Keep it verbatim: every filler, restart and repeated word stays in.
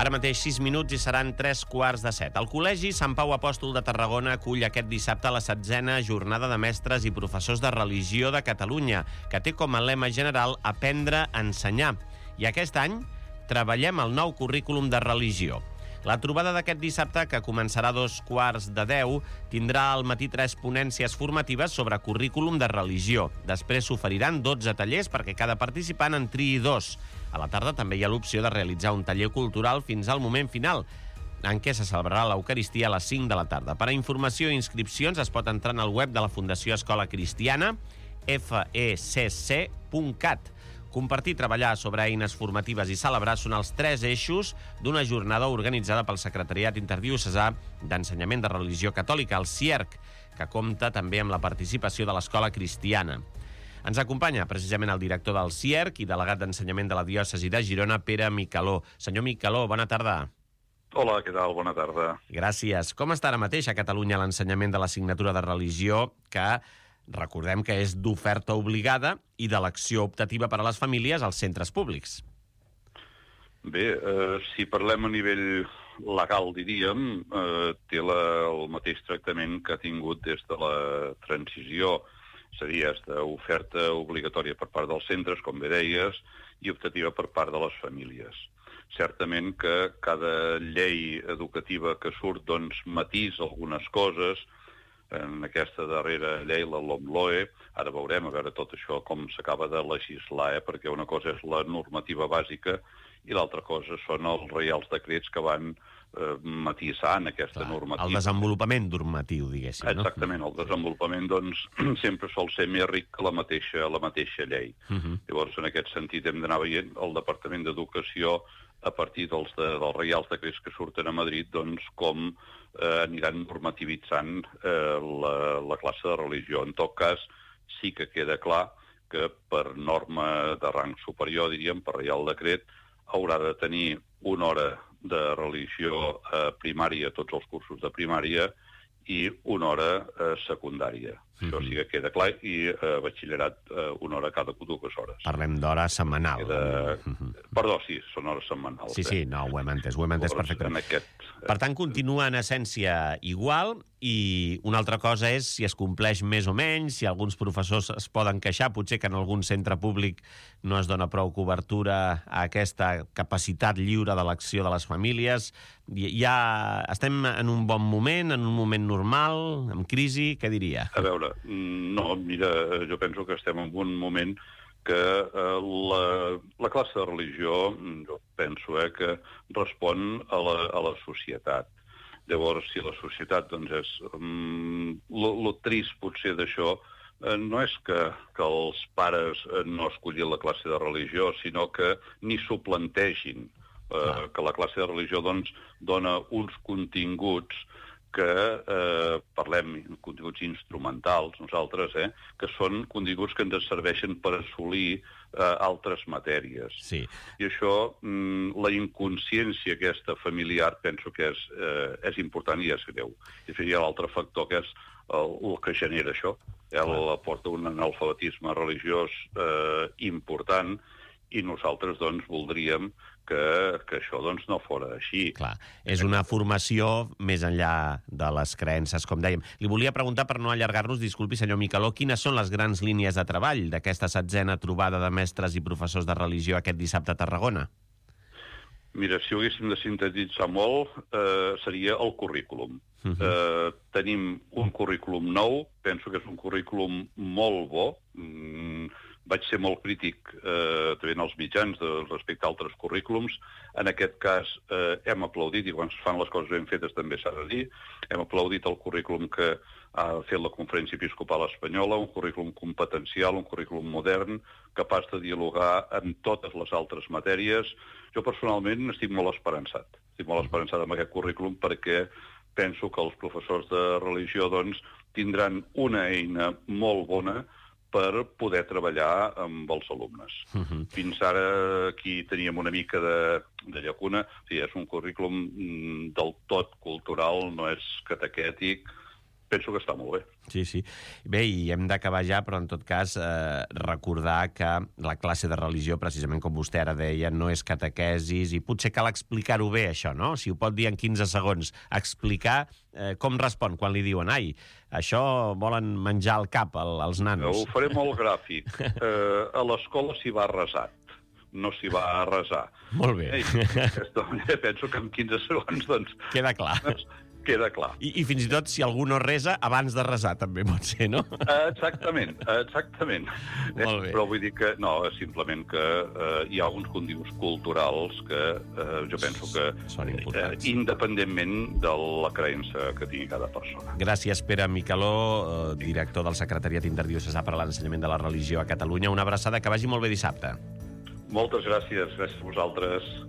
Ara mateix sis minuts i seran tres quarts de set. El Col·legi Sant Pau Apòstol de Tarragona acull aquest dissabte la setzena jornada de mestres i professors de religió de Catalunya, que té com a lema general aprendre a ensenyar. I aquest any treballem el nou currículum de religió. La trobada d'aquest dissabte, que començarà a dos quarts de deu, tindrà al matí tres ponències formatives sobre currículum de religió. Després s'oferiran dotze tallers perquè cada participant en triï dos. A la tarda també hi ha l'opció de realitzar un taller cultural fins al moment final, en què se celebrarà l'Eucaristia a les cinc de la tarda. Per a informació i inscripcions es pot entrar en el web de la Fundació Escola Cristiana, f e c c punt cat. Compartir, treballar sobre eines formatives i celebrar són els tres eixos d'una jornada organitzada pel Secretariat Interdiocesà d'Ensenyament de Religió Catòlica, el C I E R C, que compta també amb la participació de l'Escola Cristiana. Ens acompanya precisament el director del C I E R C i delegat d'Ensenyament de la Diòcesi de Girona, Pere Micaló. Senyor Micaló, bona tarda. Hola, què tal? Bona tarda. Gràcies. Com està ara mateix a Catalunya l'ensenyament de l'assignatura de religió, que recordem que és d'oferta obligada i d'elecció optativa per a les famílies als centres públics? Bé, eh, si parlem a nivell legal, diríem, eh, té la, el mateix tractament que ha tingut des de la transició. Seria d'oferta obligatòria per part dels centres, com bé deies, i optativa per part de les famílies. Certament que cada llei educativa que surt doncs, matís algunes coses. En aquesta darrera llei, la LOMLOE, ara veurem a veure tot això com s'acaba de legislar, eh? perquè una cosa és la normativa bàsica i l'altra cosa són els reials decrets que van eh, matisant aquesta Clar, normativa. El desenvolupament normatiu, diguéssim. No? Exactament, el desenvolupament doncs, sempre sol ser més ric que la mateixa, la mateixa llei. Uh -huh. Llavors, en aquest sentit, hem d'anar veient el Departament d'Educació a partir dels, de, dels reials decrets que surten a Madrid, doncs, com eh, aniran normativitzant eh, la, la classe de religió. En tot cas, sí que queda clar que per norma de rang superior, diríem, per reial decret, haurà de tenir una hora de religió eh, primària, tots els cursos de primària, i una hora eh, secundària. Mm-hmm. Això sí que queda clar, i eh, batxillerat eh, una hora cada dues hores. Parlem d'hora setmanal. Queda... Mm-hmm. Perdó, sí, són hores setmanals. Sí, sí, no, ho hem entès, ho hem entès perfectament. Aquest... Per tant, continua en essència igual, i una altra cosa és si es compleix més o menys, si alguns professors es poden queixar, potser que en algun centre públic no es dona prou cobertura a aquesta capacitat lliure d'elecció de les famílies. Ja estem en un bon moment, en un moment normal, en crisi, què diria? A veure, no, mira, jo penso que estem en un moment que eh, la, la classe de religió, jo penso eh, que respon a la, a la societat. Llavors, si la societat, doncs, és... Um, lo, lo trist, potser, d'això, eh, no és que, que els pares eh, no escollin la classe de religió, sinó que ni s'ho plantegin. Eh, que la classe de religió, doncs, dona uns continguts que, eh, parlem, continguts instrumentals, nosaltres, eh, que són continguts que ens serveixen per assolir eh, altres matèries. Sí. I això, mm, la inconsciència aquesta familiar, penso que és, eh, és important i és greu. I hi ha l'altre factor que és el, el que genera això. El porta un analfabetisme religiós eh, important, i nosaltres, doncs, voldríem que, que això, doncs, no fora així. Clar, és una formació més enllà de les creences, com dèiem. Li volia preguntar, per no allargar-nos, disculpi, senyor Micaló, quines són les grans línies de treball d'aquesta setzena trobada de mestres i professors de religió aquest dissabte a Tarragona? Mira, si ho haguéssim de sintetitzar molt, eh, seria el currículum. Uh-huh. eh, tenim un currículum nou, penso que és un currículum molt bo. Mm, vaig ser molt crític eh, també en els mitjans de, respecte a altres currículums. En aquest cas eh, hem aplaudit, i quan es fan les coses ben fetes també s'ha de dir, hem aplaudit el currículum que ha fet la Conferència Episcopal Espanyola, un currículum competencial, un currículum modern, capaç de dialogar amb totes les altres matèries. Jo personalment estic molt esperançat. Estic molt esperançat amb aquest currículum perquè penso que els professors de religió, doncs, tindran una eina molt bona per poder treballar amb els alumnes. Uh-huh. Fins ara aquí teníem una mica de, de llacuna. O sigui, és un currículum del tot cultural, no és catequètic, penso que està molt bé. Sí, sí. Bé, i hem d'acabar ja, però en tot cas eh, recordar que la classe de religió, precisament com vostè ara deia, no és catequesis, i potser cal explicar-ho bé, això, no? Si ho pot dir en quinze segons, explicar eh, com respon quan li diuen ai, això volen menjar al cap el, els nanos. Ho faré molt gràfic. Eh, a l'escola s'hi va resat, no s'hi va a resar. Molt bé. Ei, aquesta manera penso que en quinze segons, doncs... Queda clar. Queda clar. I, I fins i tot, si algú no resa, abans de resar també pot ser, no? Exactament, exactament. Molt bé. Però vull dir que, no, simplement que eh, hi ha alguns condius culturals que eh, jo penso que, són importants. Eh, independentment de la creença que tingui cada persona. Gràcies, Pere Micaló, eh, director del Secretariat Interdiocesà per a l'Ensenyament de la Religió a Catalunya. Una abraçada, que vagi molt bé dissabte. Moltes gràcies, gràcies a vosaltres.